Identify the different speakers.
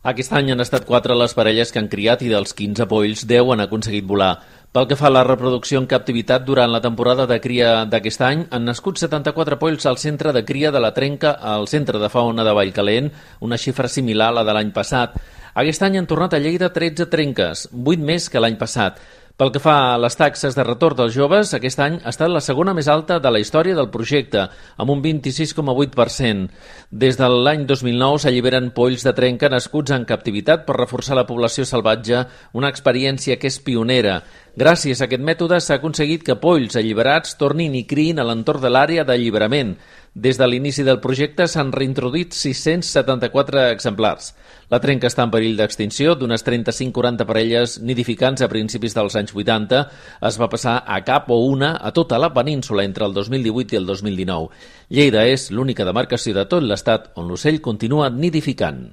Speaker 1: Aquest any han estat 4 les parelles que han criat i dels 15 polls 10 han aconseguit volar. Pel que fa a la reproducció en captivitat, durant la temporada de cria d'aquest any han nascut 74 polls al centre de cria de la Trenca al centre de fauna de Vallcalent, una xifra similar a la de l'any passat. Aquest any han tornat a Lleida 13 trenques, 8 més que l'any passat. Pel que fa a les taxes de retorn dels joves, aquest any ha estat la segona més alta de la història del projecte, amb un 26,8%. Des de l'any 2009 s'alliberen polls de trenca nascuts en captivitat per reforçar la població salvatge, una experiència que és pionera. Gràcies a aquest mètode s'ha aconseguit que polls alliberats tornin i criïn a l'entorn de l'àrea d'alliberament. Des de l'inici del projecte s'han reintroduït 674 exemplars. La trenca està en perill d'extinció. D'unes 35-40 parelles nidificants a principis dels anys 80 es va passar a cap o una a tota la península entre el 2018 i el 2019. Lleida és l'única demarcació de tot l'estat on l'ocell continua nidificant.